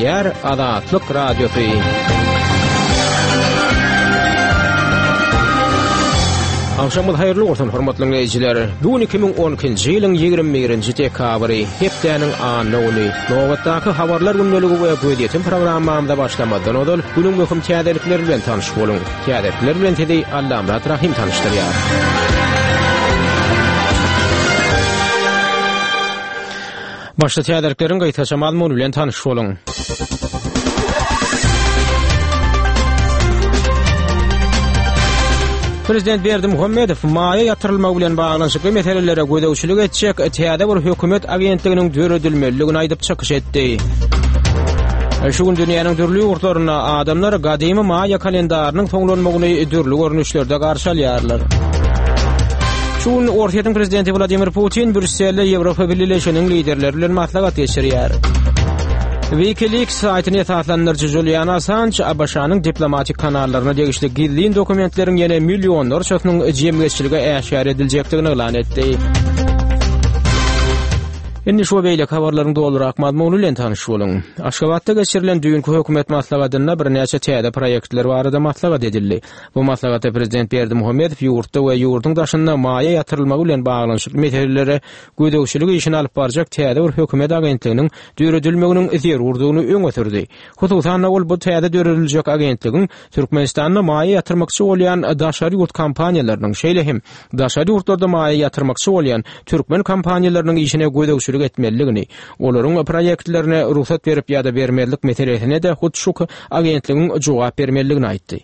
Gepleýär Azatlyk Radiosy. Agşamyňyz haýyrly bolsun, hormatly diňleýjiler. Bu gün 2012-nji ýylyň 21-nji dekabry, hepdäniň anna güni. Nobatdaky habarlar gündeligi we gözýetim programmamyza başlamazdan ozal, günüň möhüm täzelikleri bilen tanyş boluň. Täzelikler bilen sizi Allamyrat Rahym tanyşdyrýar. Başda täzelikleriň gysgaça mazmuny bilen tanyş boluň. Prezident Berdimuhamedow maýa ýatyrylmagy bilen baglanyşykly meselelere gözegçilik etjek täze bir hökümet agentliginiň döredilmelidigini aýdyp çykyş etdi. Şu gün dünýäniň dürli ýurtlarynda adamlar gadymy maýa kalendarynyň soňlanmagyny dürli görnüşlerde garşy alýarlar. Şu gün Orsýetiň prezidenti Wladimir Putin Brýusselde Ýewropa Bileleşiginiň liderleri bilen maslahat geçirýär. WikiLeaks saýtyny esaslandyryjy Julian Assange ABŞ-nyň diplomatik kanallaryna degişli gizlin dokumentleriň ýene millionlarçasynyň jemgyýetçilige äşgär ediljekdigini yglan etdi. Indi şu we beýleki habarlaryň dolurak mazmuny bilen tanyş boluň. Aşgabatda geçirilen düýnki hökümet maslahatynda birnäçe täze proýektler barada maslahat edildi. Bu maslahatda prezident Berdimuhamedow ýurtda we ýurduň daşynda maýa ýatyrylmagy bilen baglanyşykly meselelere gözegçilik işini alyp barjak täze bir hökümet agentliginiň döredilmeginiň zerurdygyny öňe sürdi. Hususan-da, ol bu täze dörediljek agentligiň Türkmenistanda maýa ýatyrmakçy bolýan daşary ýurt kompaniýalarynyň, şeýle hem daşary ýurtlarda maýa ýatyrmakçy bolýan türkmen kompaniýalarynyň işine gözegçilik etmelidigini, olaryň proýektlerine rugsat berip ýa-da bermezlik meselesine-de hut şu agentligiň jogap bermelidigini aýtdy.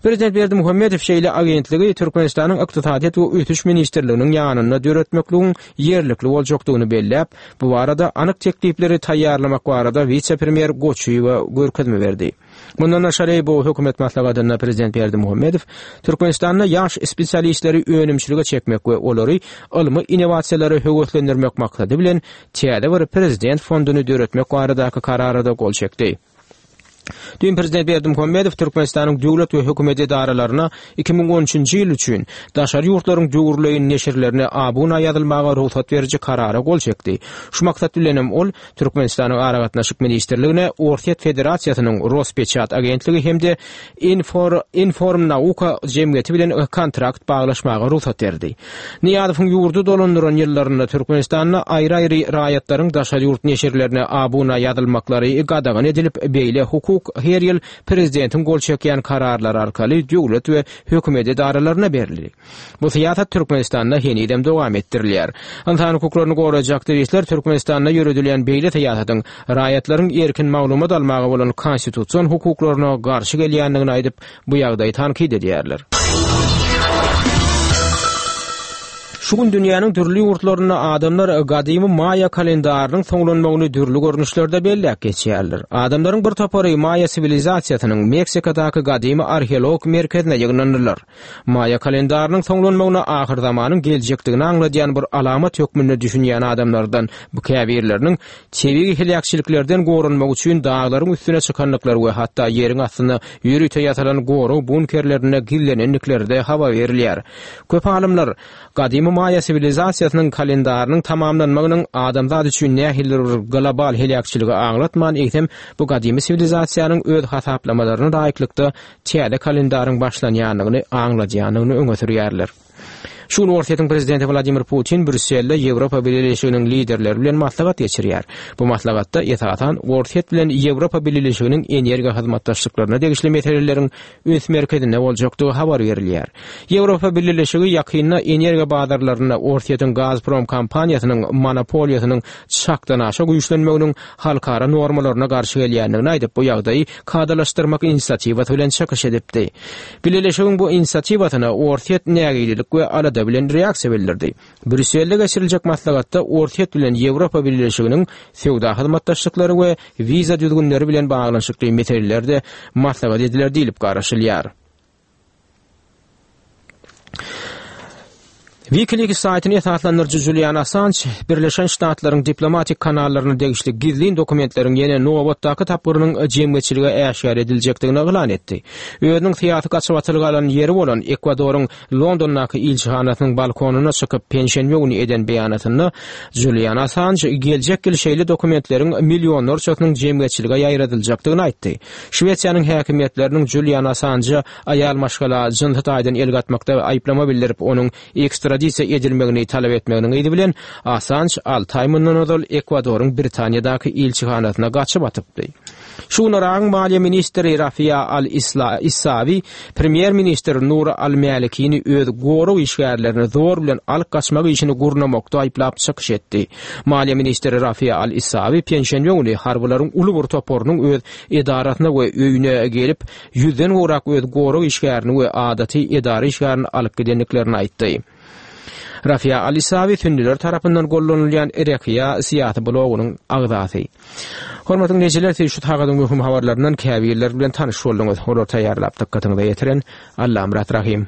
Prezident Berdimuhamedow şeýle agentligi Türkmenistanyň Ykdysadyýet we ösüş ministrliginiň ýanynda döretmekligiň ýerlikli boljakdygyny belläp, bu barada anyk teklipleri taýýarlamak barada wise-premýer Goçyýewe görkezme berdi. Mundan daşary, bu hökümet maslahatynda prezident Berdimuhamedow Türkmenistanda ýaş spesialistleri önümçilige çekmek we olary ylmy innowasiýalara höweslendirmek maksady bilen täze bir prezident fonduny döretmek baradaky karara-da gol çekdi. Düýn prezident Berdimuhamedow Türkmenistanyň döwlet we hökümet edaralaryna 2013-nji ýyl üçin daşary ýurtlaryň döwürleýin neşirlerine abuna ýazylmaga rugsat beriji karara gol çekdi. Şu maksat bilenem ol Türkmenistanyň Aragatnaşyk ministrligine Orsýet Federasiýasynyň Rospeçat agentligi hem-de Infor, Informnauka jemgyýeti bilen kontrakt baglaşmaga rugsat berdi. Nyýazowyň ýurdy dolandyran ýyllarynda Türkmenistanda aýry-aýry raýatlaryň daşary ýurt neşirlerine abuna ýazylmaklary gadagan edilip, beýle hukuk her ýyl prezidentiň gol çekýän kararlary arkaly döwlet we hökümet edaralaryna berildi. Bu syýasat Türkmenistanda henizem dowam etdirilýär. Ynsan hukuklaryny goraýjy aktiwistler Türkmenistanda ýöredilýän beýle syýasatyň raýatlaryň erkin maglumat almaga bolan konstitusion hukuklaryna garşy gelýändigini aýdyp, bu ýagdaýy tankyt edýärler. Şu gün dünýäniň dürli ýurtlarynda adamlar gadymy maýa kalendarynyň soňlanmagyny dürli görnüşlerde belläp geçýärler. Adamlaryň bir topary maýa siwilizasiýasynyň Meksikadaky gadymy arheologik merkezine ýygnandylar. Maýa kalendarynyň soňlanmagyna ahyrzamanyň geljekdigini aňladýan bir alamat hökmünde düşünýän adamlardan bu käbirleriniň tebigy heläkçiliklerden goranmak üçin daglaryň üstüne çykandyklary we hatda ýeriň astynda ýörite ýasalan gorag bunkerlerinde gizlenendikleri-de habar berilýär. Köp alymlar gadymy maýa siwilizasiýasynyň kalendarynyň tamamlanmagynyň adamzat üçin nähilidir bir global heläkçiligi aňlatman, eýsem bu gadymy siwilizasiýanyň öz hasaplamalaryna laýyklykda täze kalendaryň başlanýandygyny aňladýandygyny öňe sürýärler. Şu gün Orsýetiň prezidenti Wladimir Putin Brýusselde Ýewropa Bileleşiginiň liderleri bilen maslahat geçirýär. Bu maslahatda, esasan, Orsýet bilen Ýewropa Bileleşiginiň energiýa hyzmatdaşlyklaryna degişli meseleleriň üns merkezinde boljakdygy habar berilýär. Ýewropa Bileleşigi ýakynda energiýa bazarlarynda Orsýetiň Gazprom kompaniýasynyň monopoliýasynyň çakdanaşa güýçlenmeginiň halkara normalaryna garşy gelýändigini aýdyp, bu ýagdaýy kadalaşdyrmak inisiatiwasy bilen çykyş edipdi. Bileleşigiň bu inisiatiwasyna Orsýet nägilelik we alada bilen reaksiýa bildirdi. Brýusselde geçiriljek maslahatda Orsýet bilen Ýewropa Bileleşiginiň söwda hyzmatdaşlyklary we wiza düzgünleri bilen baglanyşykly meseleler-de maslahat ediler diýlip garaşylýar. WikiLeaks saýtyny esaslandyryjy Julian Assanj Birleşen Ştatlaryň diplomatik kanallaryna degişli gizlin dokumentleriň ýene nobatdaky tapgyrynyň jemgyýetçilige äşgär ediljekdigini yglan etdi. Özüniň syýasy gaçybatalga alan ýeri bolan Ekwadoryň Londondaky ilçihanasynyň balkonyna çykyp penşenbe güni eden beýanatynda Julian Assanj geljek ýyl şeýle dokumentleriň millionlarçasynyň jemgyýetçilige ýaýradyljakdygyny aýtdy. Şwesiýanyň häkimiýetleriniň Julian Assanja aýal maşgala jynsy taýdan el gatmakda aýyplama bildirip, onuň ekstradisiýa edilmegini talap etmeginiň yzy bilen, Assanj alty aý mundan ozal Ekwadoryň Britaniýadaky ilçihanasyna gaçyp atypdy. Şu gün Yragyň maliýe ministri Rafia al-Issawi premýer-ministr Nuri al-Mälikini öz gorag işgärlerini zor bilen alyp gaçmak işini gurnamakda aýyplap çykyş etdi. Maliýe ministri Rafia al-Issawi penşenbe güni harbylaryň uly bir toparynyň öz edarasyna we öýüne gelip, ýüzden gowrak öz gorag işgärini we adaty edara işgärini alyp gidendiklerini aýtdy. Rafia al-Isawi sünnüler tarapyndan gollanylýan Irekiýa syýasy blogynyň agzasy. Hormatly diňleýjiler, siz şu sagadyň möhüm habarlaryndan käbirleri bilen tanyş bolduňyz. Olary taýýarlap dykgatyňyza ýetiren Allamyrat Rahym.